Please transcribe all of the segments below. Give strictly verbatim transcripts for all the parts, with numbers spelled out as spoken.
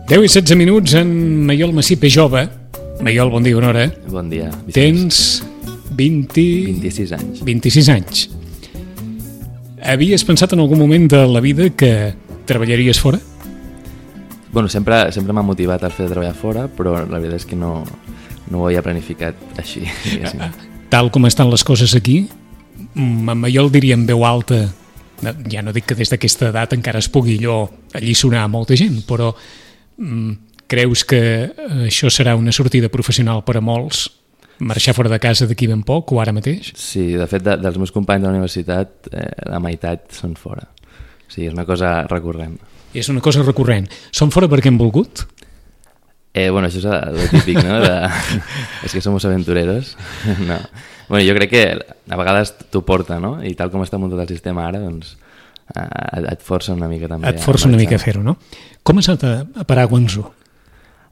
deu i setze minuts en Maiol Massip és jove. Maiol, bon dia, bona hora. Bon dia. Tens vint... vint-i-sis anys. vint-i-sis anys. Havies pensat en algun moment de la vida que treballaries fora? Bueno, sempre, sempre m'ha motivat el fet de treballar fora, però la veritat és que no, no ho havia planificat així. Tal com estan les coses aquí, en Maiol diria en veu alta, ja no dic que des d'aquesta edat encara es pugui allò alliçonar a molta gent, però mm, creus que això serà una sortida professional per a molts? Marxar fora de casa d'aquí ben poc o ara mateix? Sí, de fet, de, dels meus companys de la universitat, eh, la meitat són fora. O sigui, és una cosa recurrent. És una cosa recurrent. Són fora perquè han volgut? Eh, bueno, això és el típic, no? De... és que som aventureros. No. Bueno, jo crec que a vegades t'ho porta, no? I tal com està muntat el sistema ara, doncs eh, et força una mica també. Et força una mica a fer-ho, no? Com has anat a parar a Guangzhou?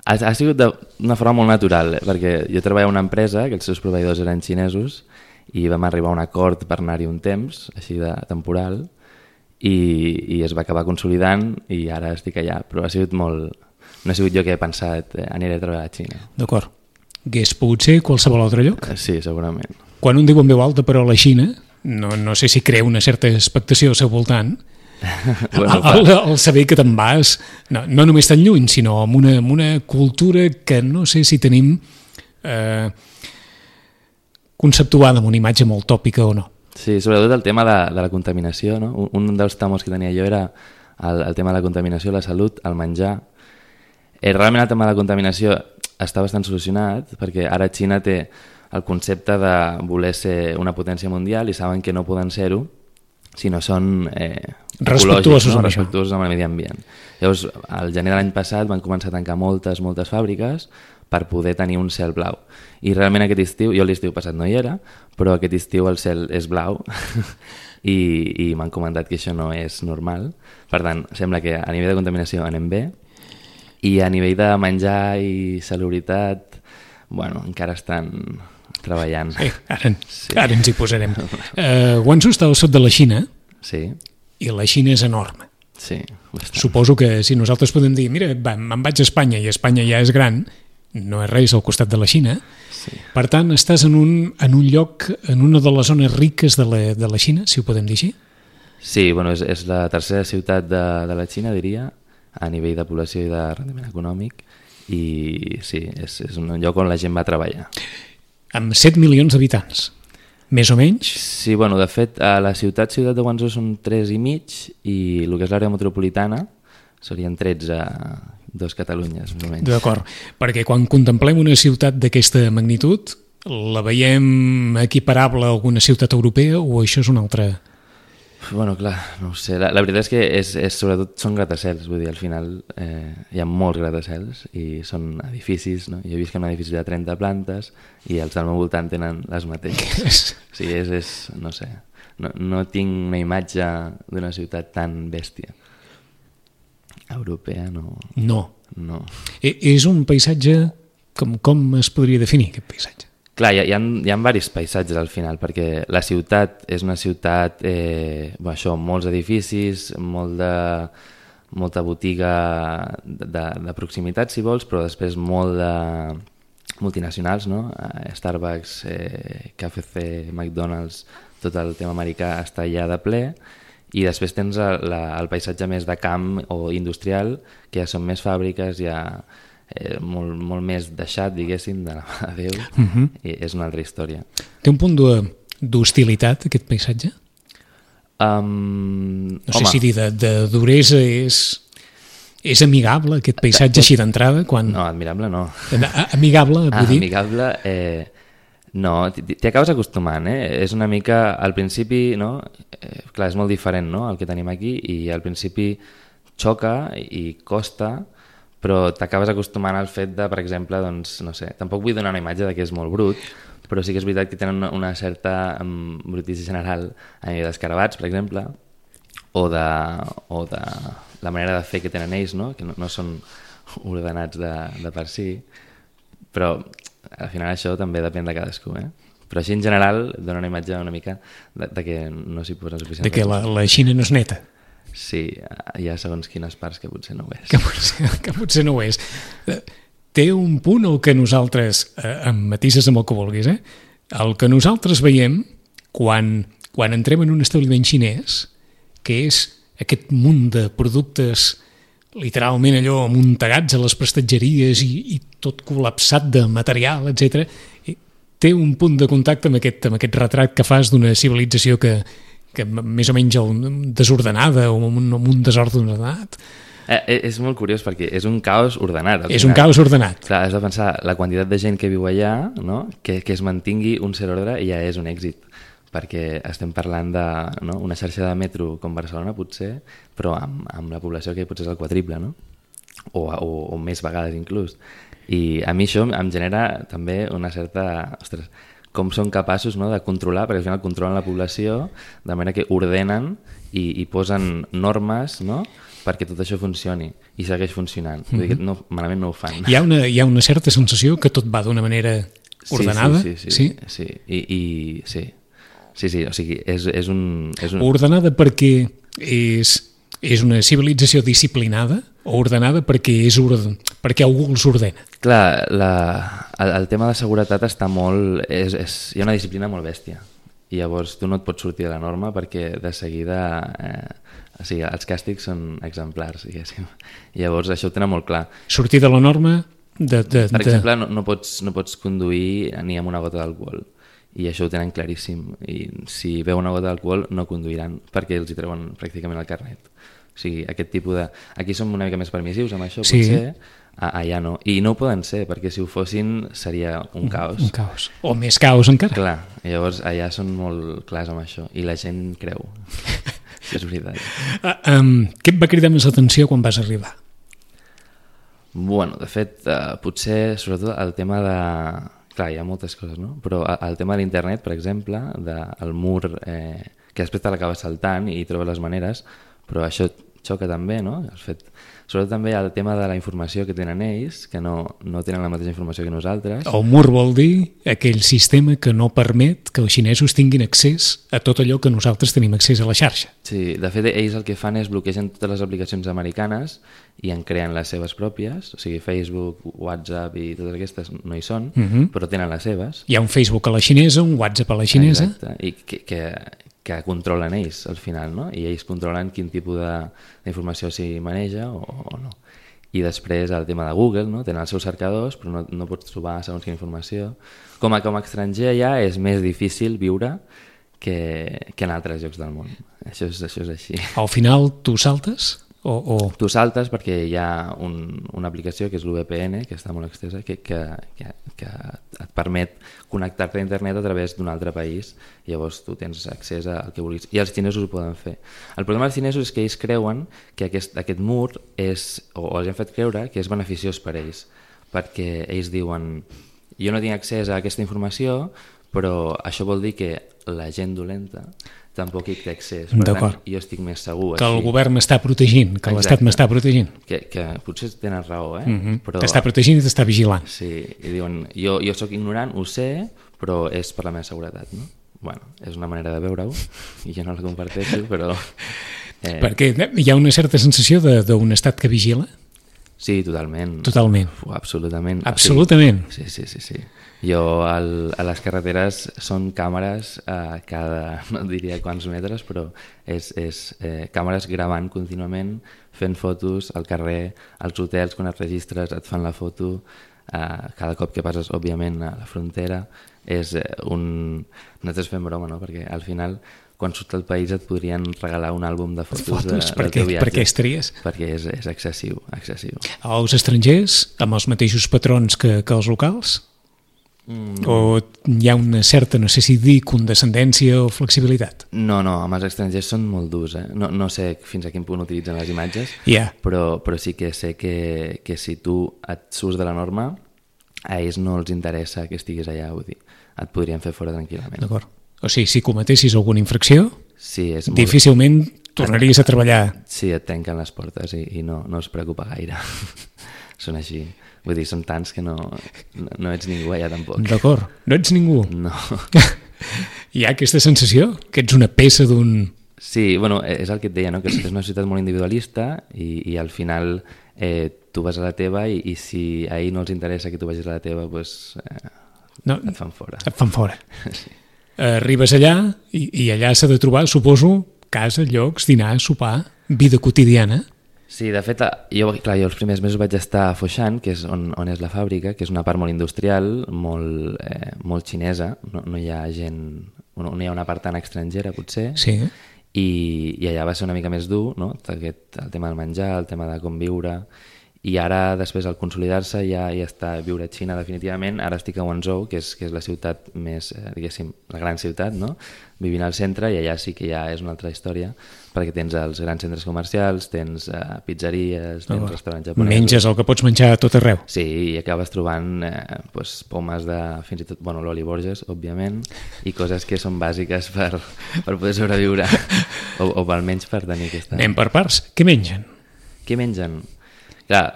Ha, ha sigut d'una forma molt natural, perquè jo treballava en una empresa que els seus proveïdors eren xinesos i vam arribar a un acord per anar-hi un temps, així de temporal, i, i es va acabar consolidant i ara estic allà, però ha sigut molt... No ha sigut jo que he pensat, eh, aniré a treballar a la Xina. D'acord. Hagués pogut ser qualsevol altre lloc? Sí, segurament. Quan un diu en veu alta, però a la Xina, no, no sé si crea una certa expectació al seu voltant, bueno, el, el saber que te'n vas, no, no només tan lluny, sinó amb una, amb una cultura que no sé si tenim eh, conceptuada amb una imatge molt tòpica o no. Sí, sobretot el tema de, de la contaminació, no? Un, un dels tamos que tenia jo era el, el tema de la contaminació, la salut, el menjar. Eh, realment el tema de la contaminació està bastant solucionat perquè ara Xina té el concepte de voler ser una potència mundial i saben que no poden ser-ho si no són eh, respectuosos, no? amb, respectuosos amb el medi ambient. Llavors, al gener de l'any passat van començar a tancar moltes, moltes fàbriques per poder tenir un cel blau. I realment aquest estiu, jo l'estiu passat no hi era, però aquest estiu el cel és blau i, i m'han comentat que això no és normal. Per tant, sembla que a nivell de contaminació anem bé i a nivell de menjar i salubritat, bueno, encara estan treballant. Eh, ara, sí. ara ens hi posarem. Uh, Guangzhou està al sud de la Xina, sí. I la Xina és enorme. Sí, bastant. Suposo que si nosaltres podem dir, mira, va, me'n vaig a Espanya i Espanya ja és gran, no és res al costat de la Xina, sí. Per tant, estàs en un, en un lloc, en una de les zones riques de la, de la Xina, si ho podem dir així? Sí, bueno, és, és la tercera ciutat de, de la Xina, diria, a nivell de població i de rendiment econòmic, i sí, és, és un lloc on la gent va a treballar. Amb set milions d'habitants, més o menys? Sí, bueno, de fet, a la ciutat ciutat de Guangzhou són tres i mig, i el que és l'àrea metropolitana serien tretze, dos Catalunyes, més o menys. D'acord, perquè quan contemplem una ciutat d'aquesta magnitud, la veiem equiparable a alguna ciutat europea o això és una altra... Bueno, clar, no ho sé. La, la veritat és que és, és, sobretot són gratacels, vull dir, al final eh, hi ha molts gratacels i són edificis, no? Jo he vist que un edifici de trenta plantes i els del meu voltant tenen les mateixes. O sigui, és, és no sé, no, no tinc una imatge d'una ciutat tan bèstia. Europea, no. No. No. E, és un paisatge, com, com es podria definir aquest paisatge? Clar, hi ha, hi ha, hi ha diversos paisatges al final, perquè la ciutat és una ciutat, eh, bueno, això, molts edificis, molt de, molta botiga de, de, de proximitat, si vols, però després molt de multinacionals, no? Starbucks, eh, K F C, McDonald's, tot el tema americà està allà de ple, i després tens el, la, el paisatge més de camp o industrial, que ja són més fàbriques, ja... Eh, molt, molt més deixat, diguéssim, de la mà de Déu, uh-huh. I és una altra història. Té un punt d'hostilitat, aquest paisatge? Um, no sé home. si dir de, de duresa és, és amigable, aquest paisatge així d'entrada? Quan... No, admirable no. Amigable, vull ah, dir? Amigable, eh, no, t'hi acabes acostumant, eh? És una mica, al principi, no? Eh, clar, és molt diferent, no?, el que tenim aquí, i al principi xoca i costa, però t'acabes acostumant al fet de, per exemple, doncs, no sé, tampoc vull donar una imatge de que és molt brut, però sí que és veritat que tenen una, una certa um, brutícia general a nivell d'escarabats, per exemple, o de, o de la manera de fer que tenen ells, no? Que no, no són ordenats de, de per si, però al final això també depèn de cadascú, eh? Però així en general dona una imatge una mica de, de que no s'hi posen suficient. De que la, la Xina no és neta. Sí, hi ha segons quines parts que potser no ho és. Que potser, que potser no ho és. Té un punt el que nosaltres, eh, em matises amb el que vulguis, eh? El que nosaltres veiem quan, quan entrem en un establiment xinès, que és aquest munt de productes literalment allò amuntegats a les prestatgeries i, i tot col·lapsat de material, etcètera, té un punt de contacte amb aquest, amb aquest retrat que fas d'una civilització que, que més o menys desordenada o amb un, amb un desordre ordenat. Eh, és molt curiós perquè és un caos ordenat. És un caos ordenat. Clar, has de pensar la quantitat de gent que viu allà, no? que, que es mantingui un cert ordre i ja és un èxit, perquè estem parlant de no? una xarxa de metro com Barcelona potser, però amb, amb la població que potser és el quadriple, no? o, o, o més vegades inclús. I a mi això em genera també una certa... Ostres, com són capaços no, de controlar, perquè al final controlen la població de manera que ordenen i, i posen normes, no?, perquè tot això funcioni i segueix funcionant. Mm-hmm. Vull dir que no, malament no ho fan. Hi ha una, hi ha una certa sensació que tot va d'una manera ordenada? Sí, sí, sí. sí? sí. I, i, sí. sí, sí, o sigui, és, és un... És un... Ordenada perquè és, és una civilització disciplinada o ordenada perquè, és orden, perquè algú els ordena? Clar, la, el, el tema de seguretat està molt... És, és, hi ha una disciplina molt bèstia i llavors tu no et pots sortir de la norma perquè de seguida... Eh, o sigui, els càstigs són exemplars, diguéssim. I llavors això ho tenen molt clar. Sortir de la norma... De, de, per de... exemple, no, no, pots, no pots conduir ni amb una gota d'alcohol. I això ho tenen claríssim. I si veu una gota d'alcohol no conduiran perquè els hi treuen pràcticament el carnet. O sigui, aquest tipus de... Aquí som una mica més permissius amb això, sí. potser. Allà no. I no ho poden ser, perquè si ho fossin seria un caos. Un, un caos. O més caos encara. Clar, i llavors allà són molt clars amb això. I la gent creu. Sí, és veritat. Uh, um, què et va cridar més l'atenció quan vas arribar? Bueno, de fet, uh, potser, sobretot, el tema de... Clar, hi ha moltes coses, no? Però el tema de l'internet, per exemple, del mur, eh, que després te l'acabes saltant i trobes les maneres, però això xoca també, no? El fet... Sobretot també el tema de la informació que tenen ells, que no, no tenen la mateixa informació que nosaltres. El mur vol dir aquell sistema que no permet que els xinesos tinguin accés a tot allò que nosaltres tenim accés a la xarxa. Sí, de fet ells el que fan és bloquegen totes les aplicacions americanes i en creen les seves pròpies, o sigui Facebook, WhatsApp i totes aquestes no hi són, uh-huh. però tenen les seves. Hi ha un Facebook a la xinesa, un WhatsApp a la xinesa. Exacte, i que... que que controlen ells al final, no? I ells controlen quin tipus d'informació s'hi maneja o, o no. I després el tema de Google, no? Tenen els seus cercadors però no, no pots trobar segons quina informació. Com a, com a estranger ja és més difícil viure que, que en altres llocs del món. Això és, això és així. Al final tu saltes? O, o... Tu saltes perquè hi ha un, una aplicació que és l'U V P N, que està molt extesa, que, que, que, que et permet connectar-te a internet a través d'un altre país i llavors tu tens accés al que vulguis. I els xinesos ho poden fer. El problema dels xinesos és que ells creuen que aquest, aquest mur és, o, o els han fet creure que és beneficiós per ells, perquè ells diuen jo no tinc accés a aquesta informació, però això vol dir que la gent dolenta tampoc hi té accés. Per tant, jo estic més segur. Que així. El govern m'està protegint, que l'Estat m'està protegint. Que, que potser tenen raó, eh? Mm-hmm. Però... T'està protegint i t'està vigilant. Sí, i diuen, jo, jo sóc ignorant, ho sé, però és per la meva seguretat, no? Bueno, és una manera de veure-ho, i jo no la comparteixo, però... Eh... Perquè hi ha una certa sensació d'un estat que vigila? Sí, totalment. Totalment. Uf, absolutament. Absolutament. Sí, sí, sí, sí. Jo al, a les carreteres són càmeres a cada, no diria quants metres, però és, és eh, càmeres gravant contínuament, fent fotos al carrer, als hotels, quan et registres et fan la foto, eh, cada cop que passes, òbviament, a la frontera. És eh, un... Nosaltres fem broma, no? Perquè al final, quan surts del país et podrien regalar un àlbum de fotos, fotos de, del teu viatge. Per què estaries? Perquè és, és excessiu, excessiu. Els estrangers, amb els mateixos patrons que, que els locals? Mm. O hi ha una certa, no sé si dir, condescendència o flexibilitat? No, no, amb els estrangers són molt durs, eh? No, no sé fins a quin punt utilitzen les imatges, yeah. però, però sí que sé que, que si tu et surts de la norma, a ells no els interessa que estiguis allà, vull dir, et podrien fer fora tranquil·lament. D'acord. O sigui, si cometessis alguna infracció, sí, és molt... difícilment tornaries a treballar. Sí, et tanquen les portes i, i no, no es preocupa gaire. Són així. Vull dir, són tants que no, no, no ets ningú allà tampoc. D'acord, no ets ningú. No. Hi ha aquesta sensació que ets una peça d'un Sí, bueno, és el que et deia, no? Que és una societat molt individualista i, i al final eh, tu vas a la teva i, i si a ell no els interessa que tu vagis a la teva, doncs eh, no, et fan fora. Et fan fora. Sí. Arribes allà i, i allà s'ha de trobar, suposo, casa, llocs, dinar, sopar, vida quotidiana. Sí, de fet, jo, clar, jo els primers mesos vaig estar a Foshan, que és on, on és la fàbrica, que és una part molt industrial, molt, eh, molt xinesa, no, no hi ha gent, no, no hi ha una part tan estrangera, potser, sí. i, i allà va ser una mica més dur, no? Aquest, el tema del menjar, el tema de com viure, i ara, després, al consolidar-se, ja, ja està viure a Xina definitivament. Ara estic a Guangzhou, que és, que és la ciutat més, eh, diguéssim, la gran ciutat, no? Vivint al centre, i allà sí que ja és una altra història, perquè tens els grans centres comercials, tens eh, pizzeries, tens oh, restaurants japonesos... Menges el que pots menjar a tot arreu. Sí, i acabes trobant eh, pues, pomes de, fins i tot, bueno, l'Oli Borges, òbviament, i coses que són bàsiques per, per poder sobreviure, o, o almenys per tenir aquesta... Anem per parts. Què mengen? Què mengen? Clar,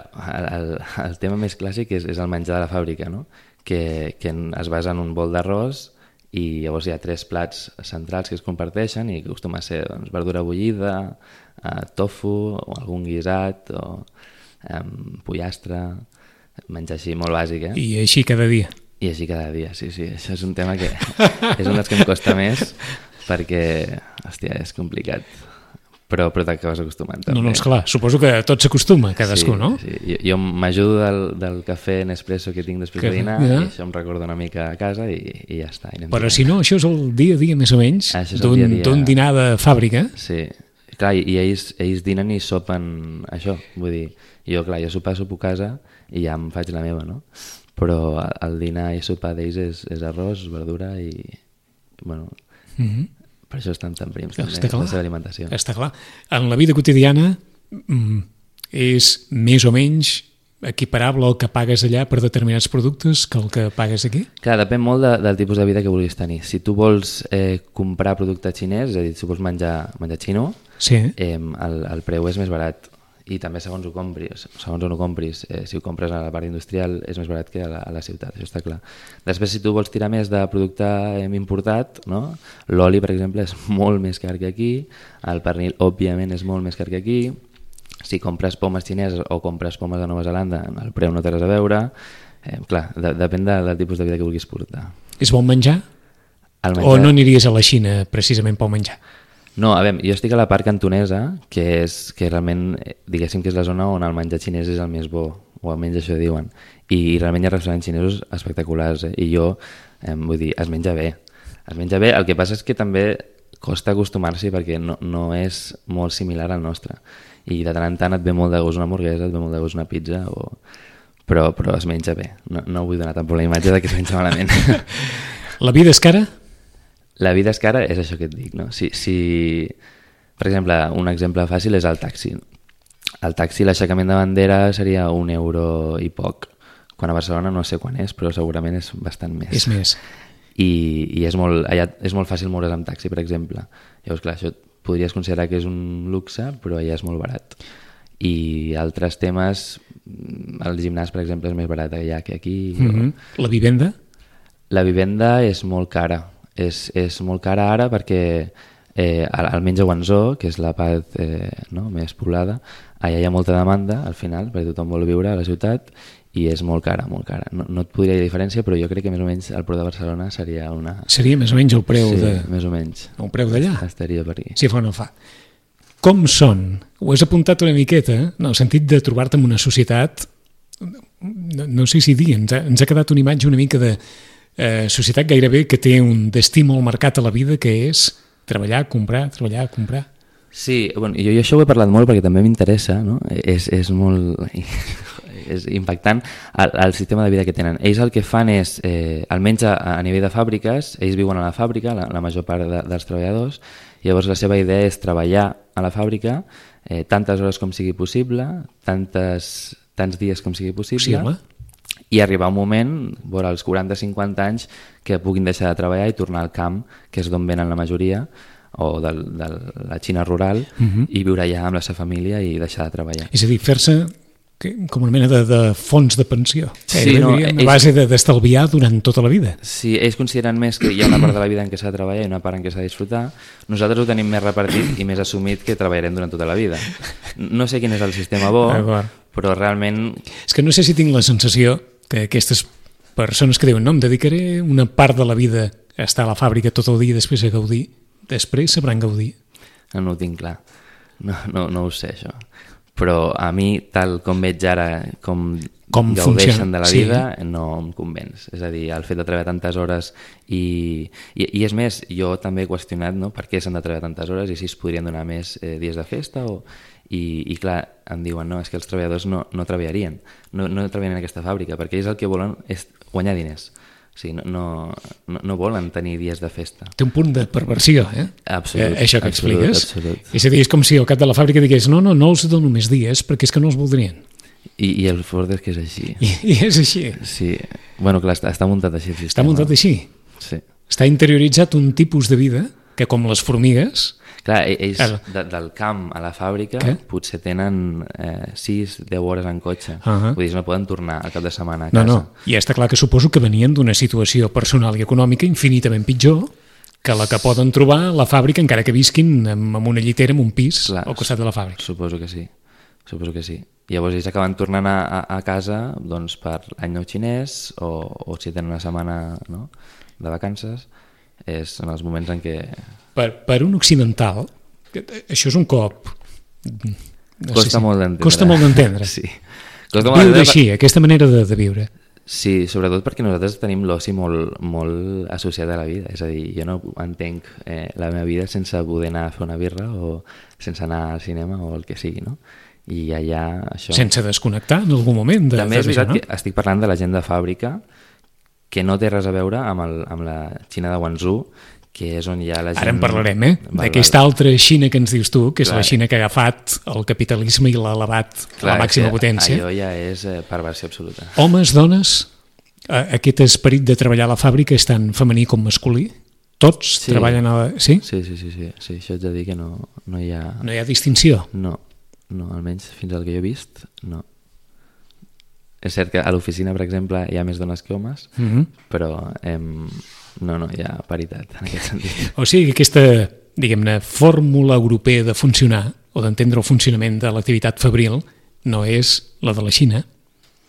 el, el tema més clàssic és, és el menjar de la fàbrica, no? que, que es basa en un bol d'arròs i llavors hi ha tres plats centrals que es comparteixen i que acostuma a ser doncs, verdura bullida, eh, tofu, o algun guisat, o eh, pollastre, menjar així molt bàsic. Eh? I així cada dia? I així cada dia, sí, sí. Això és un tema que és un dels que em costa més perquè, hòstia, és complicat. Però, però t'acabes acostumant també. No, no, esclar, suposo que tot s'acostuma, cadascú, sí, no? Sí, jo, jo m'ajudo del, del cafè Nespresso que tinc després que, de dinar ja. I això em recorda una mica a casa i, i ja està. I però si no, això és el dia a dia més o menys d'un dinar de fàbrica. Sí, clar, i, i ells, ells dinen i sopen això, vull dir, jo clar, jo sopar sopo a casa i ja em faig la meva, no? Però el dinar i sopar d'ells és, és arròs, verdura i, bueno... Mm-hmm. Per això estan tan prims, també, la seva alimentació. Està clar. En la vida quotidiana és més o menys equiparable al que pagues allà per determinats productes que el que pagues aquí? Clar, depèn molt de, del tipus de vida que vulguis tenir. Si tu vols eh, comprar producte xinès, és a dir, si vols menjar, menjar xino, sí. eh, el, el preu és més barat. I també segons ho compris, segons on ho compris, eh, si ho compres a la part industrial és més barat que a la, a la ciutat, això està clar. Després, si tu vols tirar més de producte eh, importat, no? L'oli, per exemple, és molt més car que aquí, el pernil, òbviament, és molt més car que aquí, si compres pomes xineses o compres pomes de Nova Zelanda, el preu no té res a veure, eh, clar, de, depèn de, del tipus de vida que vulguis portar. És bon menjar? menjar? O no aniries a la Xina precisament pel menjar? No, a veure, jo estic a la part cantonesa, que és que realment, diguéssim que és la zona on el menjar xinès és el més bo, o almenys això diuen, i, i realment hi ha restaurants xinesos espectaculars, eh? I jo, eh, vull dir, es menja bé, es menja bé, el que passa és que també costa acostumar-s'hi perquè no, no és molt similar al nostre, i de tant en tant et ve molt de gust una hamburguesa, et ve molt de gust una pizza, o... però, però es menja bé, no, no vull donar tampoc la imatge de que es menja malament. La vida és cara? La vida és cara, és això que et dic, no? Si, si, per exemple, un exemple fàcil és el taxi. El taxi, l'aixecament de bandera seria un euro i poc. Quan a Barcelona no sé quan és, però segurament és bastant més. És més. I, i és, molt, allà és molt fàcil moure's amb taxi, per exemple. Llavors, clar, això podries considerar que és un luxe, però allà és molt barat. I altres temes, el gimnàs, per exemple, és més barat allà que aquí. Mm-hmm. O... La vivenda? La vivenda és molt cara. És, és molt cara ara perquè eh, almenys a Guangzhou, que és la part eh, no, més poblada, allà hi ha molta demanda al final, perquè tothom vol viure a la ciutat i és molt cara, molt cara. No, no et podria dir diferència, però jo crec que més o menys el preu de Barcelona seria una... Seria més o menys el preu sí, de... més o menys. El preu d'allà? Estaria per aquí. Si fa o no fa. Com són? Ho has apuntat una miqueta, en el sentit de trobar-te en una societat, no, no sé si dir, ens ha, ens ha quedat una imatge una mica de... Eh, societat gairebé que té un destí molt marcat a la vida, que és treballar, comprar, treballar, comprar. Sí, bueno, jo, jo això ho he parlat molt perquè també m'interessa, no? És, és molt és impactant el, el sistema de vida que tenen. Ells el que fan és, eh, almenys a, a nivell de fàbriques, ells viuen a la fàbrica, la, la major part de, dels treballadors, i llavors la seva idea és treballar a la fàbrica eh, tantes hores com sigui possible, tantes, tants dies com sigui possible, possible? I arribar un moment, vora els quaranta a cinquanta anys, que puguin deixar de treballar i tornar al camp, que és d'on venen la majoria, o de, de la Xina rural, uh-huh. i viure allà amb la seva família i deixar de treballar. És a dir, fer-se que, com una mena de, de fons de pensió. Sí, eh, no, diríem, a és- base de- d'estalviar durant tota la vida. Sí, ells consideren més que hi ha una part de la vida en què s'ha de treballar i una part en què s'ha de disfrutar. Nosaltres ho tenim més repartit i més assumit que treballarem durant tota la vida. No sé quin és el sistema bo, D'acord. però realment És que no sé si tinc la sensació que aquestes persones que diuen no, em dedicaré una part de la vida a estar a la fàbrica tot el dia i després a gaudir, després sabran gaudir. no, no ho tinc clar. No, no, no ho sé, això. Però a mi, tal com veig ara, com, Com gaudeixen funciona, de la sí. vida, no em convenç. És a dir, el fet de treballar tantes hores i, i, i és més, jo també he qüestionat, no?, per què s'han de treballar tantes hores i si es podrien donar més eh, dies de festa o... I, i clar, em diuen, no, és que els treballadors no, no treballarien, no, no treballarien en aquesta fàbrica, perquè ells el que volen és guanyar diners. O sigui, no, no, no, no volen tenir dies de festa. Té un punt de perversió, eh? Absolut, eh això que absolut, expliques. absolut. És a dir, és com si al cap de la fàbrica digués no, no, no els dono més dies perquè és que no els voldrien. I, i el fort és que és així. I, i és així. Sí, bueno, clar, està, està muntat així el sistema. Està muntat així. Sí. Està interioritzat un tipus de vida que, com les formigues, Clar, e- ells Claro. de, del camp a la fàbrica Què? potser tenen eh, sis deu hores en cotxe. Ahà. Vull dir, no poden tornar al cap de setmana a no, casa. no, i està clar que suposo que venien d'una situació personal i econòmica infinitament pitjor que la que poden trobar a la fàbrica encara que visquin amb, amb una llitera en un pis Clar, al costat de la fàbrica. Suposo que sí, suposo que sí. Llavors ells acaben tornant a, a, a casa doncs, per l'any nou xinès o, o si tenen una setmana, no?, de vacances, és en els moments en què... Per, per un occidental, que- això és un cop... No Costa sé si- molt d'entendre. Costa molt d'entendre. Sí. Costa molt Viure d'entendre així, aquesta manera de, de viure. Sí, sobretot perquè nosaltres tenim l'oci molt, molt associat a la vida. És a dir, jo no entenc eh, la meva vida sense poder anar a fer una birra o sense anar al cinema o el que sigui, no? I allà això... Sense desconnectar en algun moment. De, També és de veritat no? que estic parlant de la gent de fàbrica que no té res a veure amb, el, amb la Xina de Guangzhou, que és on hi ha la gent... Ara en parlarem, eh? Val, D'aquesta val. altra Xina que ens dius tu, que és Clar. la Xina que ha agafat el capitalisme i l'ha elevat a Clar, la màxima és que potència. Allò ja és eh, perversió absoluta. Homes, dones, eh, aquest esperit de treballar a la fàbrica és tant femení com masculí? Tots Sí. treballen a la... Sí? Sí, sí, sí, sí, sí, això ets de dir que no, no hi ha... No hi ha distinció. No, no, almenys fins al que jo he vist, no. És cert que a l'oficina, per exemple, hi ha més dones que homes, Mm -hmm. però em, no, no hi ha paritat en aquest sentit. O sigui que aquesta, diguem-ne, fórmula europea de funcionar o d'entendre el funcionament de l'activitat fabril no és la de la Xina,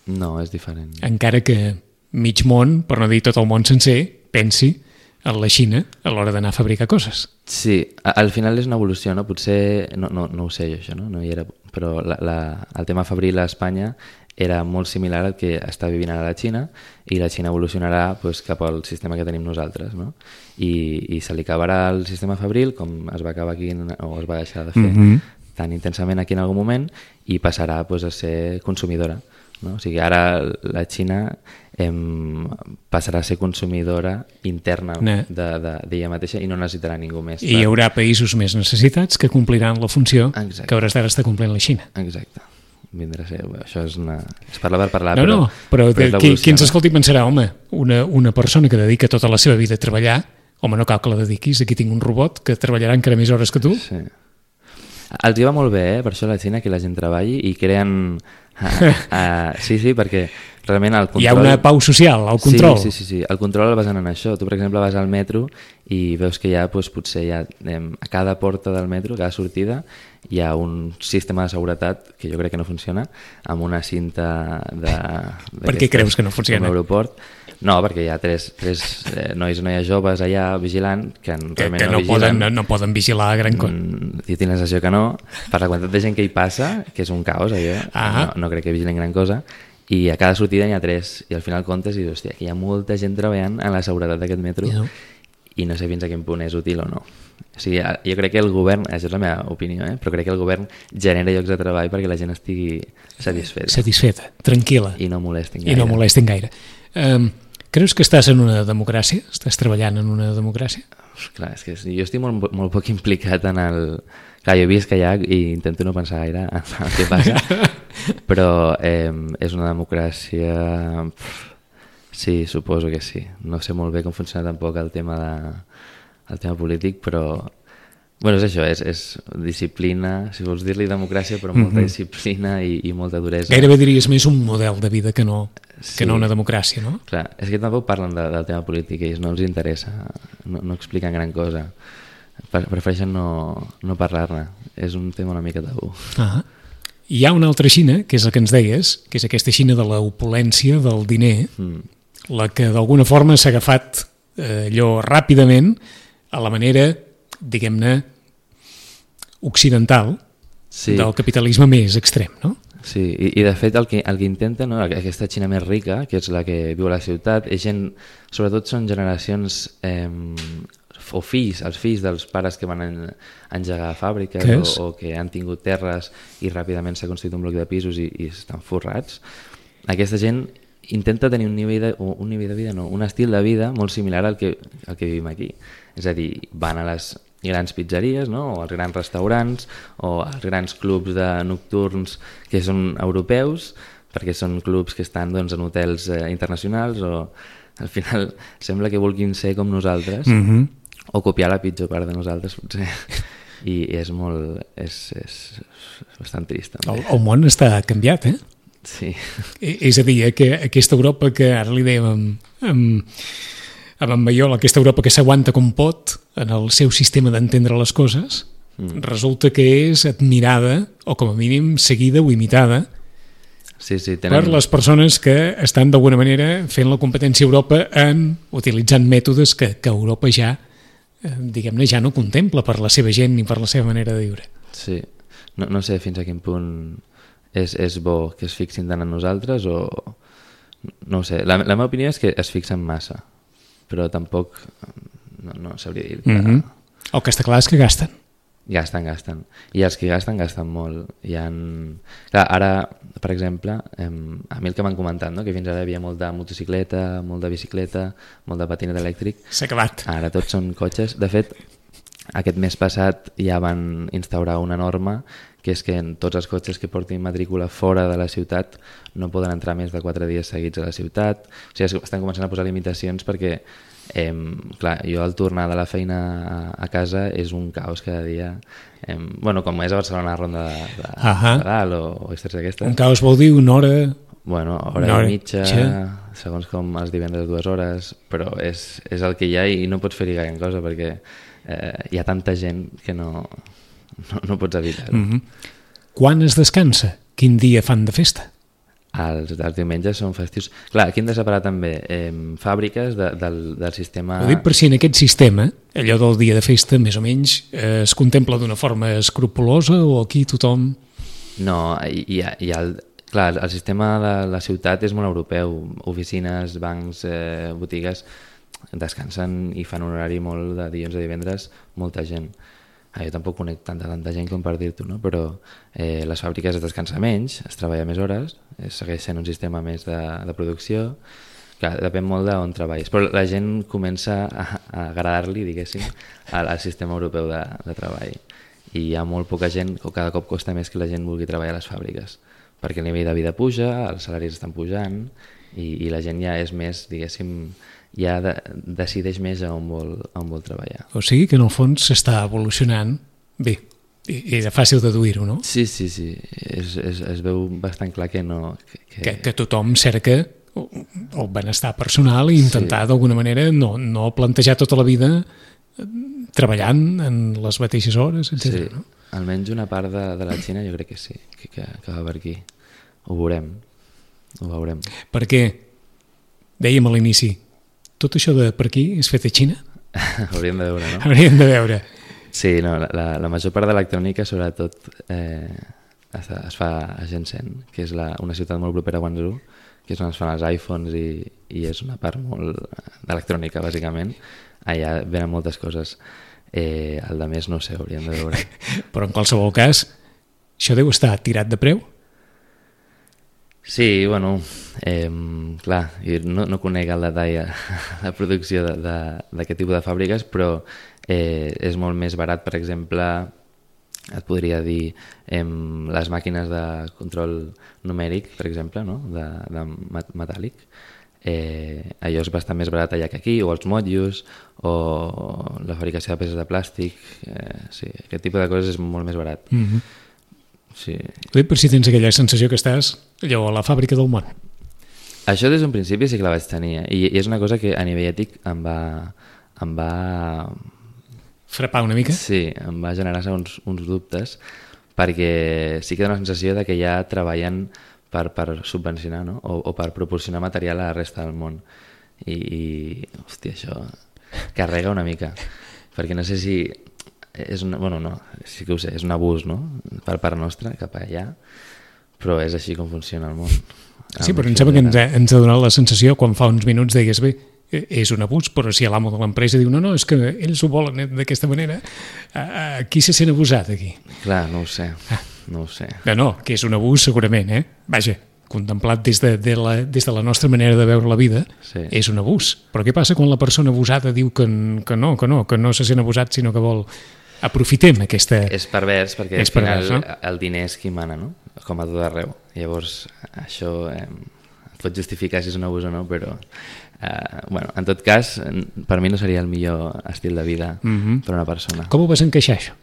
No, és diferent. encara que mig món, per no dir tot el món sencer, pensi en la Xina a l'hora d'anar a fabricar coses. Sí, a- al final és una evolució, no? Potser, no, no, no ho sé jo això, no? No hi era, però la, la, el tema fabril a Espanya era molt similar al que està vivint ara la Xina i la Xina evolucionarà pues, cap al sistema que tenim nosaltres, no? I, i se li acabarà el sistema fabril com es va acabar aquí en- o es va deixar de fer Mhm. tan intensament aquí en algun moment i passarà pues, a ser consumidora, no? O sigui, ara la Xina em, passarà a ser consumidora interna Ne. de- de- d'ella mateixa i no necessitarà ningú més. I hi haurà països més necessitats que compliran la funció Exacte. que a hores d'ara està complint la Xina. Exacte. Vindrà a ser... Això és una... Es parla per parlar, No, però... no, però, és però qui, l'evolució, qui ens no? escolti pensarà, home, una, una persona que dedica tota la seva vida a treballar, home, no cal que la dediquis, aquí tinc un robot que treballarà encara més hores que tu. Sí. Els hi va molt bé, eh? Per això a la Xina, que la gent treballi i creen... Uh, uh, sí, sí, perquè realment el control... Hi ha una pau social, el control. Sí, sí, sí, sí. El control el basen en això. Tu, per exemple, vas al metro i veus que hi ha, doncs, potser hi ha, eh, a cada porta del metro, a cada sortida, hi ha un sistema de seguretat que jo crec que no funciona, amb una cinta de... Per què creus que no funciona? Com l'aeroport. No, perquè hi ha tres, tres eh, nois i noies joves allà vigilant que, Que, realment que no, no vigilen. poden, no, no poden vigilar gran cosa. Mm, jo tinc la sensació que no, per la quantitat de gent que hi passa, que és un caos allò, Ah. no, no crec que vigilen gran cosa, i a cada sortida n'hi ha tres, i al final comptes i dius, hòstia, que hi ha molta gent treballant en la seguretat d'aquest metro, Ja. i no sé fins a quin punt és útil o no. O sigui, jo crec que el govern, això és la meva opinió, eh? però crec que el govern genera llocs de treball perquè la gent estigui satisfeta Satisfeta, tranquil·la, i no molestin i gaire. no molestin gaire. Um, creus que estàs en una democràcia? Estàs treballant en una democràcia? Uf, clar, és que jo estic molt, molt poc implicat en el... Clar, jo visc allà i intento no pensar gaire en el que passa, però eh, és una democràcia... Pff, sí, suposo que sí. No sé molt bé com funciona tampoc el tema, de, el tema polític, però Bueno, és això, és, és disciplina, si vols dir-li democràcia, però molta Mhm. disciplina i, i molta duresa. Gairebé diries més un model de vida que no, Sí. que no una democràcia, no? Clar, és que tampoc parlen de, del tema polític, ells no els interessa, no, no expliquen gran cosa. Pre- Prefereixen no, no parlar-ne, és un tema una mica tabú. Ah. Hi ha una altra Xina, que és la que ens deies, que és aquesta Xina de l'opulència, del diner, Mm. la que d'alguna forma s'ha agafat eh, allò ràpidament a la manera, diguem-ne, occidental Sí. del capitalisme més extrem, no? Sí, i, i de fet el que, el que intenta, no, aquesta Xina més rica, que és la que viu a la ciutat, és gent, sobretot són generacions eh, o fills, els fills dels pares que van en, engegar fàbriques Què és? o, o que han tingut terres i ràpidament s'ha construït un bloc de pisos i, i estan forrats. Aquesta gent intenta tenir un nivell de, un nivell de vida, no, un estil de vida molt similar al que, al que vivim aquí. És a dir, van a les grans pizzeries, no? O als grans restaurants o als grans clubs de nocturns que són europeus, perquè són clubs que estan doncs, en hotels eh, internacionals o al final sembla que vulguin ser com nosaltres Mm -hmm. o copiar la pitjor part de nosaltres potser. I, i és molt és, és, és bastant trist també. El, el món està canviat, eh? Sí. I- És a dir, que aquesta Europa que ara li dèiem amb, amb, amb en Maiol, aquesta Europa que s'aguanta com pot en el seu sistema d'entendre les coses, Mm. resulta que és admirada, o com a mínim seguida o imitada, Sí, sí, per les persones que estan d'alguna manera fent la competència a Europa en utilitzant mètodes que, que Europa ja, eh, diguem-ne, ja no contempla per la seva gent ni per la seva manera de viure. Sí. No, no sé fins a quin punt és, és bo que es fixin tant en nosaltres o... No ho sé. La, la meva opinió és que es fixen massa, però tampoc no, no sabria dir que... Mm -hmm. El que està clar és que gasten. Gasten, gasten. I els que gasten, gasten molt. Hi ha... Clar, ara, per exemple, em, a mi el que m'han comentat, no? Que fins ara hi havia molta motocicleta, molt de bicicleta, molt de patinet elèctric. S'ha acabat. Ara tots són cotxes. De fet, aquest mes passat ja van instaurar una norma que és que en tots els cotxes que portin matrícula fora de la ciutat no poden entrar més de quatre dies seguits a la ciutat. O sigui, estan començant a posar limitacions perquè Eh, clar, jo al tornar de la feina a, a casa és un caos cada dia. Eh, bueno, com és a Barcelona, ronda de, de, Ahà. de dalt o, o històries d'aquestes. Un caos vol dir una hora... Bueno, hora, Una hora i mitja, mitja. segons com els divendres dues hores, però és, és el que hi ha i no pots fer-hi gaire cosa perquè eh, hi ha tanta gent que no, no, no pots evitar-ho. Mm -hmm. Quan es descansa? Quin dia fan de festa? Els, els diumenges són festius. Clar, aquí hem de separar també eh, fàbriques de, del, del sistema... Ho dic per si en aquest sistema, allò del dia de festa, més o menys, eh, es contempla d'una forma escrupulosa o aquí tothom... No, hi ha, hi ha el, clar, el sistema de la ciutat és molt europeu. Oficines, bancs, eh, botigues descansen i fan un horari molt de dilluns a divendres, molta gent. Ah, jo tampoc conec tanta, tanta gent com per dir-t'ho, no? Però eh, les fàbriques es descansa menys, es treballa més hores, eh, segueix sent un sistema més de, de producció. Clar, depèn molt d'on treballis, però la gent comença a, a agradar-li, diguéssim, al, al sistema europeu de, de treball. I hi ha molt poca gent, o cada cop costa més que la gent vulgui treballar a les fàbriques, perquè el nivell de vida puja, els salaris estan pujant i, i la gent ja és més, diguéssim, ja de, decideix més a on vol, a on vol treballar. O sigui que en el fons s'està evolucionant bé, i és fàcil deduir-ho, no? Sí, sí, sí, es, es, es veu bastant clar que no... Que, que... Que, que tothom cerca el benestar personal i intentar sí. d'alguna manera no, no plantejar tota la vida treballant en les mateixes hores, etcètera. Sí, no? almenys una part de, de la Xina jo crec que sí, que, que, que va per aquí. Ho veurem, ho veurem. Perquè, dèiem a l'inici, tot això de per aquí és fet a Xina? Hauríem de veure, no? Hauríem de veure. Sí, no, la, la major part de l'electrònica, sobretot, eh, es, es fa a Shenzhen, que és la, una ciutat molt propera a Guangzhou, que és on es fan els iPhones i, i és una part molt d'electrònica, bàsicament. Allà venen moltes coses. Eh, el de més no sé, hauríem de veure. Però en qualsevol cas, això deu estar tirat de preu? Sí, bueno, eh, clar, no, no conec el detall la producció d'aquest tipus de fàbriques, però eh, és molt més barat, per exemple, et podria dir eh, les màquines de control numèric, per exemple, no? de, de metàl·lic, eh, allò és bastant més barat allà que aquí, o els motllos, o la fabricació de peces de plàstic, eh, sí, aquest tipus de coses és molt més barat. Mm-hmm. Sí. Bé, per si tens aquella sensació que estàs allò a la fàbrica del món. Això des d'un principi sí que la vaig tenir, eh? I, i és una cosa que a nivell ètic em va... em va... Frapar una mica? Sí, em va generar uns, uns dubtes, perquè sí que dona la sensació de que ja treballen per, per subvencionar, no? o, o per proporcionar material a la resta del món. I, i hòstia, això carrega una mica, perquè no sé si és una, bueno, no, sí que ho sé, és un abús, no?, per part nostra cap allà, però és així com funciona el món. Sí, però em sembla que ens ha, ens ha donat la sensació quan fa uns minuts deies, bé, és un abús, però si l'amo de l'empresa diu no, no, és que ells ho volen d'aquesta manera, a, a, qui se sent abusat aquí? Clar, no ho sé, ah. no ho sé. No, no, que és un abús segurament, eh? Vaja, contemplat des de, de la, des de la nostra manera de veure la vida, sí. És un abús. Però què passa quan la persona abusada diu que, que no, que no, que no se sent abusat, sinó que vol... Aprofitem aquesta... És pervers, perquè és al final pervers, no? El diner és qui mana, no? Com a tot arreu. Llavors, això eh, pot justificar si és un abús o no, però... Eh, bueno, en tot cas, per mi no seria el millor estil de vida mm-hmm. per a una persona. Com ho vas encaixar, això?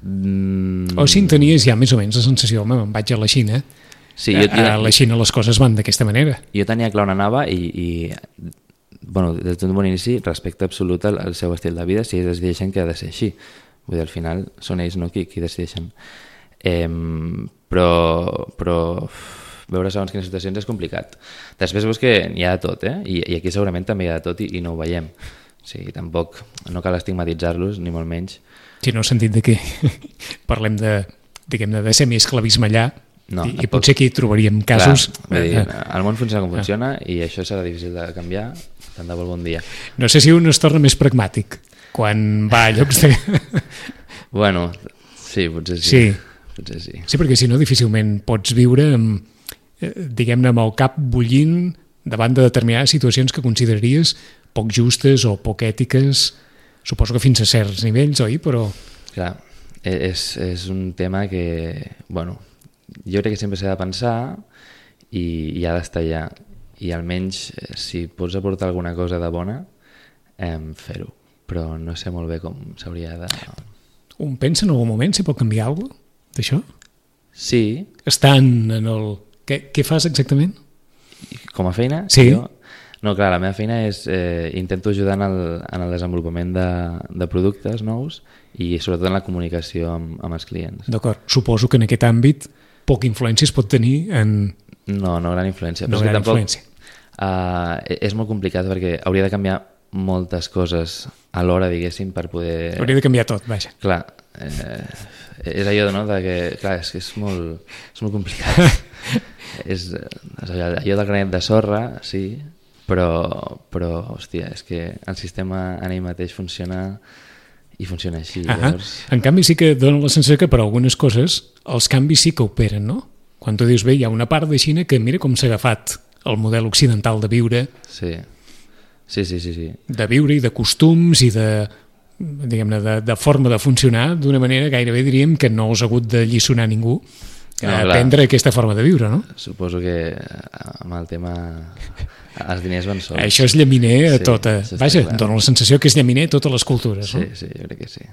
Mm... O si en tenies ja més o menys la sensació, home, me'n vaig a la Xina, sí, jo, jo, a la Xina les coses van d'aquesta manera. Jo tenia clar on anava i... i bueno, des d'un bon inici, respecte absolut al, al seu estil de vida, si ells decideixen que ha de ser així. Vull dir, al final són ells, no?, qui, qui decideixen. Eh, però, però veure segons quines situacions és complicat. Després veus que hi ha de tot, eh? I, i aquí segurament també hi ha de tot i, i no ho veiem. O sigui, tampoc, no cal estigmatitzar-los, ni molt menys. Sí, no, sentit de que parlem de, diguem-ne, de semiesclavisme allà, no, i, i potser aquí trobaríem casos... Clar, dir, el món funciona com funciona ah. i això serà difícil de canviar, tant de bo algun dia. No sé si un es torna més pragmàtic quan va a llocs de... Bueno, sí, potser sí. Sí. Potser sí. Sí, perquè si no difícilment pots viure amb, diguem-ne, amb el cap bullint davant de determinades situacions que consideraries poc justes o poc ètiques, suposo que fins a certs nivells, oi? Però... Clar, és, és un tema que, bueno, jo crec que sempre s'ha de pensar i, i ha d'estar allà. I almenys, si pots aportar alguna cosa de bona, eh, fer-ho. Però no sé molt bé com s'hauria de... Un pensa en algun moment si pot canviar alguna cosa d'això? Sí. Estan en el... Què, què fas exactament? Com a feina? Sí. Jo? No, clar, la meva feina és... Eh, intento ajudar en el, en el desenvolupament de, de productes nous i sobretot en la comunicació amb, amb els clients. D'acord. Suposo que en aquest àmbit poca influència es pot tenir en... No, no gran influència. No gran tampoc, influència. Uh, és molt complicat perquè hauria de canviar moltes coses alhora, diguéssim, per poder... Hauria de canviar tot, vaja. Clar, eh, és allò, no?, de que, clar, és que és molt, és molt complicat. és, és allò, allò del granet de sorra, sí, però, però, hòstia, és que el sistema en ell mateix funciona i funciona així. Llavors... En canvi sí que dona la sensació que per algunes coses els canvis sí que operen, no? Quan tu dius, bé, hi ha una part de Xina que mira com s'ha agafat el model occidental de viure, sí. Sí, sí, sí, sí. de viure i de costums i de, diguem-ne, de, de forma de funcionar d'una manera gairebé diríem que no us ha hagut de lliçonar ningú a no, aprendre aquesta forma de viure, no? Suposo que amb el tema els diners van sols. Això és llaminer a sí, tota... Vaja, dona la sensació que és llaminer a totes les cultures, sí, no? Sí, sí, jo crec que sí.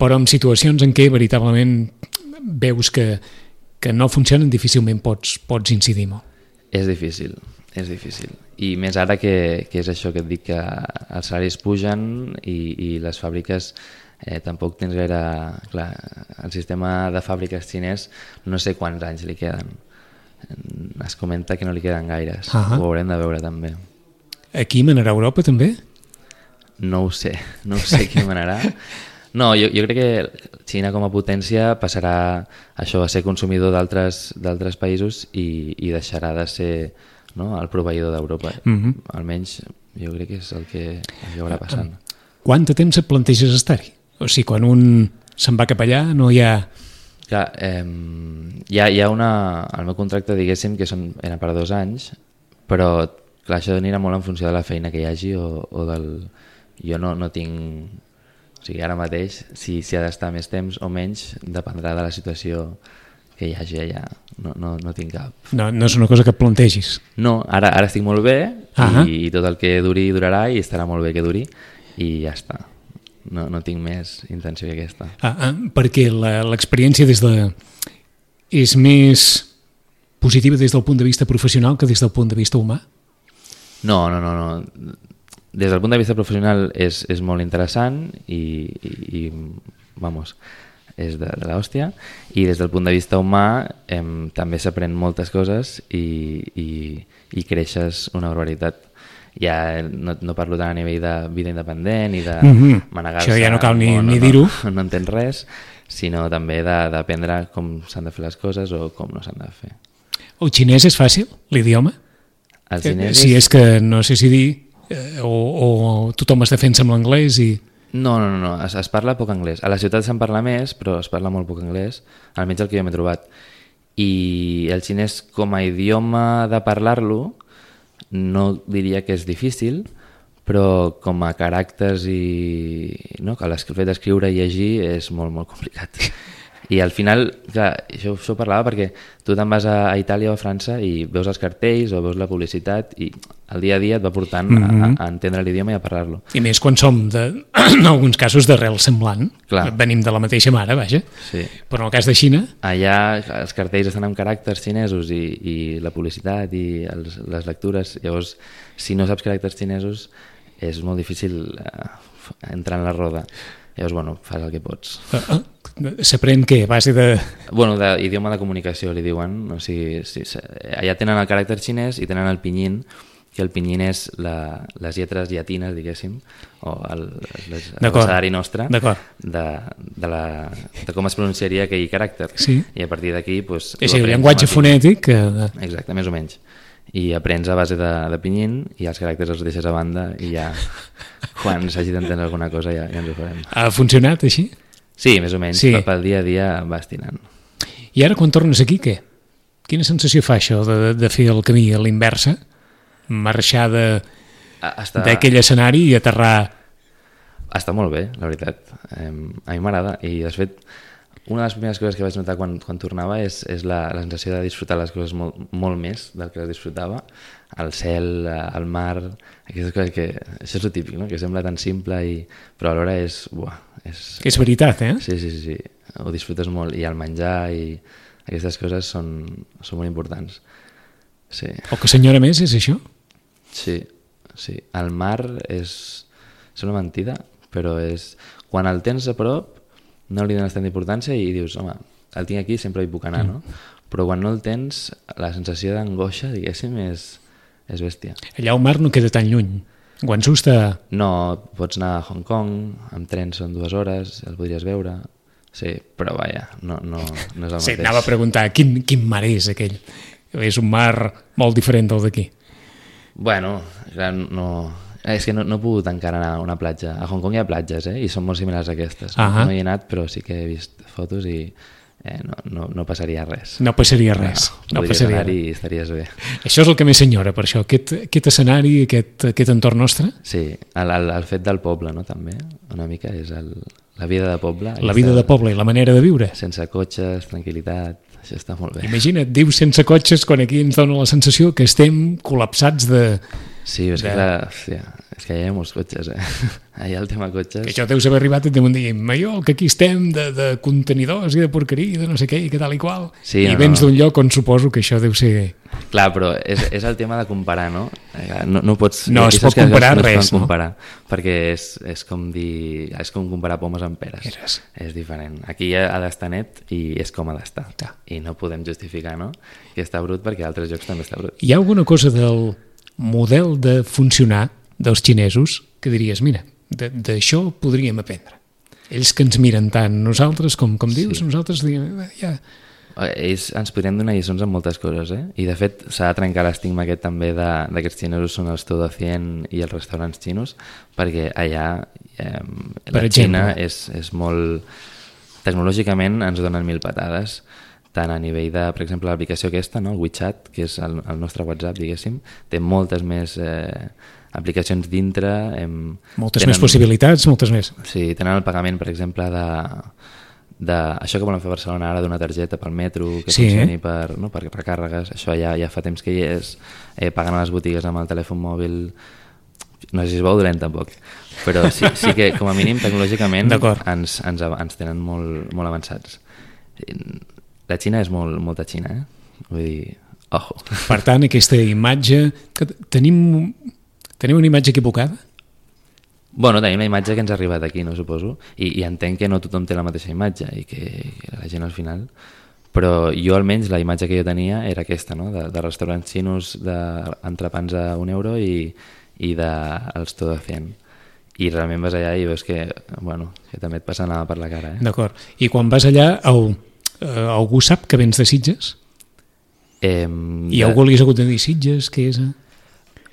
Però en situacions en què veritablement veus que, que no funcionen difícilment pots, pots incidir molt. És difícil, és difícil. I més ara que, que és això que et dic, que els salaris pugen i, i les fàbriques eh, tampoc tens gaire... Clar, el sistema de fàbriques xinès no sé quants anys li queden. Es comenta que no li queden gaires. Uh-huh. Ho haurem de veure també. Aquí manarà Europa també? No ho sé, no ho sé qui manarà. No, jo, jo crec que Xina com a potència passarà això a ser consumidor d'altres d'altres països i, i deixarà de ser, no, el proveïdor d'Europa. Mm-hmm. Almenys jo crec que és el que acabarà passant. Quant de temps et planteges estar-hi? O sigui, quan un se'n va cap allà no hi ha... Clar, eh, hi, ha, hi ha una... El meu contracte, diguéssim, que són, era per dos anys, però clar, això anirà molt en funció de la feina que hi hagi o, o del... Jo no, no tinc... O sigui, ara mateix, si, si ha d'estar més temps o menys, dependrà de la situació que hi hagi allà, no, no, no tinc cap. No, no és una cosa que plantegis. No, ara, ara estic molt bé uh-huh. i, i tot el que duri durarà i estarà molt bé que duri i ja està. No, no tinc més intenció que aquesta. Ah, ah, perquè l'experiència des de... és més positiva des del punt de vista professional que des del punt de vista humà? No, no, no, no. Des del punt de vista professional és, és molt interessant i, i, i vamos, és de, de l'hòstia, i des del punt de vista humà em, també s'aprèn moltes coses i, i, i creixes una barbaritat. Ja no, no parlo tant a nivell de vida independent i de mm-hmm. manegar-se... Això ja no cal ni, no, no, ni dir-ho. No, no entens res, sinó també d'aprendre com s'han de fer les coses o com no s'han de fer. El xinès és fàcil, l'idioma? El xinès si és... és que no sé si dir eh, o, o tothom es defensa amb l'anglès i... No, no, no, no. Es, es parla poc anglès. A la ciutat se'n parla més, però es parla molt poc anglès, almenys el que jo m'he trobat. I el xinès com a idioma de parlar-lo no diria que és difícil, però com a caràcters i... no, que el fet d'escriure i llegir és molt, molt complicat. I al final, clar, això, això parlava perquè tu te'n vas a, a Itàlia o a França i veus els cartells o veus la publicitat i el dia a dia et va portant mm-hmm. a, a entendre l'idioma i a parlar-lo. I més quan som, de, en alguns casos, d'arrel semblant. Clar. Venim de la mateixa mare, vaja. Sí. Però en el cas de Xina... Allà els cartells estan amb caràcters xinesos i, i la publicitat i els, les lectures. Llavors, si no saps caràcters xinesos, és molt difícil eh, entrar en la roda. Llavors, bueno, fas el que pots. Uh, uh, S'aprèn què? A base de... Bueno, d'idioma de comunicació, li diuen. O sigui, sí, allà tenen el caràcter xinès i tenen el pinyin, que el pinyin és la, les lletres llatines, diguéssim, o el, el, el abecedari nostre, de, de, la, de com es pronunciaria aquell caràcter. Sí. I a partir d'aquí... Pues, és el llenguatge fonètic. Que... Exacte, més o menys. I aprens a base de, de pinyin i els caràcters els deixes a banda i ja quan s'hagi d'entendre alguna cosa ja, ja ens ho farem. Ha funcionat així? Sí, més o menys, sí. Però pel dia a dia vas tirant. I ara quan tornes aquí, què? Quina sensació fa això de, de fer el camí a l'inversa? Marxar d'aquell Està... escenari i aterrar... Està molt bé, la veritat. Eh, a mi m'agrada. I, de fet, una de les primeres coses que vaig notar quan, quan tornava és, és la, la sensació de disfrutar les coses molt, molt més del que les disfrutava. El cel, el mar, aquestes coses que... Això és el típic, no? Que sembla tan simple, i, però alhora és... Buah, és... és veritat, eh? Sí, sí, sí, sí. Ho disfrutes molt. I el menjar i aquestes coses són, són molt importants. Sí. El que s'enyora més és això? Sí, sí. El mar és... és una mentida, però és... Quan el tens a prop, no li dones tanta importància i dius, home, el tinc aquí, sempre hi puc anar, no? Però quan no el tens, la sensació d'angoixa, diguéssim, és, és bèstia. Allà el mar no queda tan lluny. Guangzhou està... No, pots anar a Hong Kong, amb tren són dues hores, el podries veure... Sí, però vaja, no, no, no és el sí, mateix. Anava a preguntar, quin, quin mar és aquell? És un mar molt diferent del d'aquí. Bueno, no, és que no, no he pogut encara anar a una platja. A Hong Kong hi ha platges, eh? I són molt similars a aquestes. Uh-huh. No hi he anat, però sí que he vist fotos i eh, no, no, no passaria res. No passaria res. No, no podries passaria anar res. i estaries bé. Això és el que més senyora, per això. Aquest, aquest escenari, aquest, aquest entorn nostre? Sí, el, el, el fet del poble, no? També, una mica, és el... La vida de poble. La vida de poble i la manera de viure. Sense cotxes, tranquil·litat, això està molt bé. Imagina't, dius sense cotxes quan aquí ens dona la sensació que estem col·lapsats de... Sí, és, de... que, clar, hòstia, és que hi ha molts cotxes, eh? Allà el tema cotxes... Que això deus haver arribat i deuen dir, Maiol, que aquí estem de, de contenidors i de porqueria i de no sé què i que tal i qual. Sí, I no, vens no. d'un lloc on suposo que això deu ser... Clar, però és, és el tema de comparar, no? No, no pots... No es pot comparar no res, no? Comparar, perquè és, és com dir... És com comparar pomes amb peres. Eres. És diferent. Aquí ha d'estar net i és com ha d'estar. Ja. I no podem justificar, no? Que està brut perquè a altres llocs també està brut. Hi ha alguna cosa del model de funcionar dels xinesos que diries, mira, d'això podríem aprendre. Ells que ens miren tant, nosaltres, com, com dius, sí. Nosaltres diem, ja... Ells ens podrien donar lliçons en moltes coses, eh? I de fet s'ha de trencar l'estigma aquest també d'aquests xinesos són els todo cien i els restaurants xinos, perquè allà eh, la Xina és, és molt... Tecnològicament ens donen mil patades, tant a nivell de, per exemple, l'aplicació aquesta, no? El WeChat, que és el, el nostre WhatsApp, diguéssim, té moltes més eh, aplicacions dintre. Hem, moltes tenen, més possibilitats, moltes més. Sí, tenen el pagament, per exemple, de de això que volen fer a Barcelona ara d'una targeta pel metro, que sí, funcioni eh? per, no, per recàrregues, això ja, ja fa temps que hi és, eh, pagant a les botigues amb el telèfon mòbil, no sé si es veu dolent tampoc, però sí, sí que com a mínim tecnològicament ens, ens, ens tenen molt, molt avançats. La Xina és molt, molta Xina, eh? Vull dir, ojo. Per tant, aquesta imatge... Que tenim, tenim una imatge equivocada? Bueno, tenim la imatge que ens ha arribat aquí, no suposo, i, i entenc que no tothom té la mateixa imatge i que, que la gent al final... Però jo almenys la imatge que jo tenia era aquesta, no? de, de restaurants xinos d'entrepans a un euro i, i dels todo cien. I realment vas allà i veus que, bueno, que també et passa anar per la cara. Eh? D'acord. I quan vas allà, el, eh, algú sap que vens de Sitges? Eh, I algú li has hagut de dir Sitges, què és?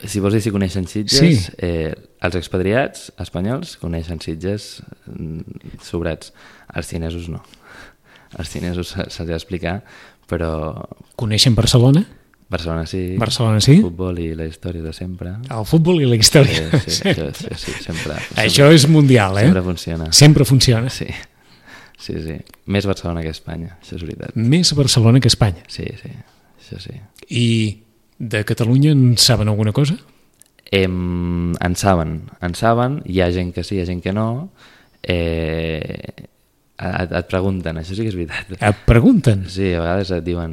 Si vols dir si coneixen Sitges, sí. eh, els expatriats espanyols coneixen Sitges sobrats, els xinesos no. Els xinesos se'ls ha d'explicar, però... Coneixen Barcelona? Barcelona sí. Barcelona sí. El futbol i la història de sempre. El futbol i la història. Sí, sí, això, sí, sí sempre, sempre. Això és mundial, eh? Sempre funciona. Sempre funciona. Sí, sí, sí. Més Barcelona que Espanya, això és veritat. Més Barcelona que Espanya. Sí, sí, això sí. I de Catalunya en saben alguna cosa? Em, en saben, en saben, hi ha gent que sí, hi ha gent que no. Eh... Et, et pregunten, això sí que és veritat. Et pregunten? Sí, a vegades et diuen,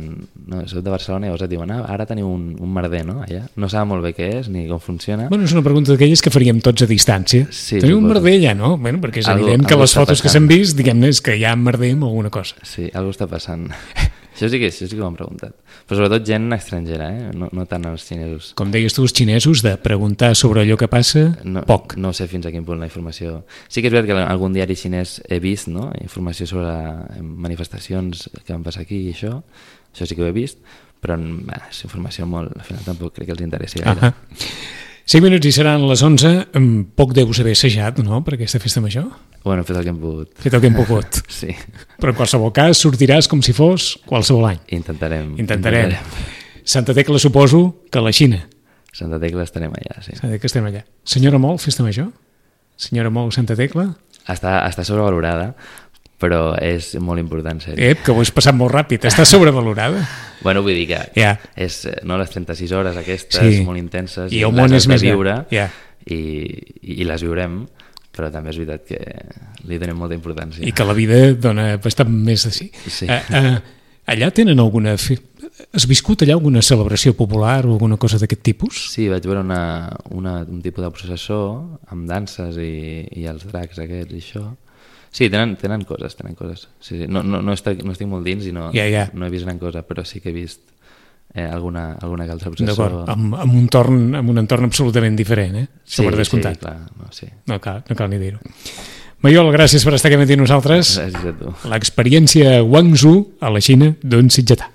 no, soc de Barcelona, i llavors et diuen, ah, ara teniu un, un merder, no? Allà. No saben molt bé què és ni com funciona. Bueno, és una pregunta d'aquelles que faríem tots a distància. Sí, teniu suposo. un merder allà, no? Bueno, perquè és algo, evident que les fotos passant. que s'han vist, diguem-ne, és que hi ha merder amb alguna cosa. Sí, alguna està passant. Això sí que, això sí que ho han preguntat. Però sobretot gent estrangera, eh? no, no tant els xinesos. Com deies tu, els xinesos, de preguntar sobre allò que passa, no, poc. No sé fins a quin punt la informació... Sí que és veritat que en algun diari xinès he vist, no?, informació sobre manifestacions que van passar aquí i això, això sí que ho he vist, però bah, és informació molt... Al final tampoc crec que els interessi gaire. Uh-huh. cinc minuts i seran les onze, poc deus haver assajat, no?, per aquesta festa major? Bueno, he fet el que hem pogut. Fet el que hem pogut. Sí. Però en qualsevol cas sortiràs com si fos qualsevol any. Intentarem. Intentarem. Intentarem. Santa Tecla suposo que a la Xina. Santa Tecla estarem allà, sí. Santa Tecla estarem allà. Senyora Mol, festa major? Senyora Mol, Santa Tecla? Està, està sobrevalorada, però és molt important, sèrio. Ep, que ho has passat molt ràpid. Està sobrevalorada? Bueno, vull dir que yeah. és, no, les trenta-sis hores aquestes, sí. molt intenses, i el món és més viure, yeah. i, i les viurem, però també és veritat que li donem molta importància. I que la vida dona bastant més de sí. sí. Uh, uh, allà tenen alguna... Fi... Has viscut allà alguna celebració popular o alguna cosa d'aquest tipus? Sí, vaig veure una, una, un tipus de processó amb danses i, i els dracs aquests i això. Sí, tenen, tenen coses, tenen coses. Sí, sí. No, no, no, estic, no estic molt dins i no, yeah, yeah. no he vist gran cosa, però sí que he vist eh, alguna, alguna altra processó. D'acord, amb, amb, un torn, amb un entorn absolutament diferent, eh? Sí, sí, clar. No, sí. no, cal, no cal ni dir-ho. Maiol, gràcies per estar aquí amb nosaltres. Gràcies a tu. L'experiència Guangzhou a la Xina d'un sitgetà.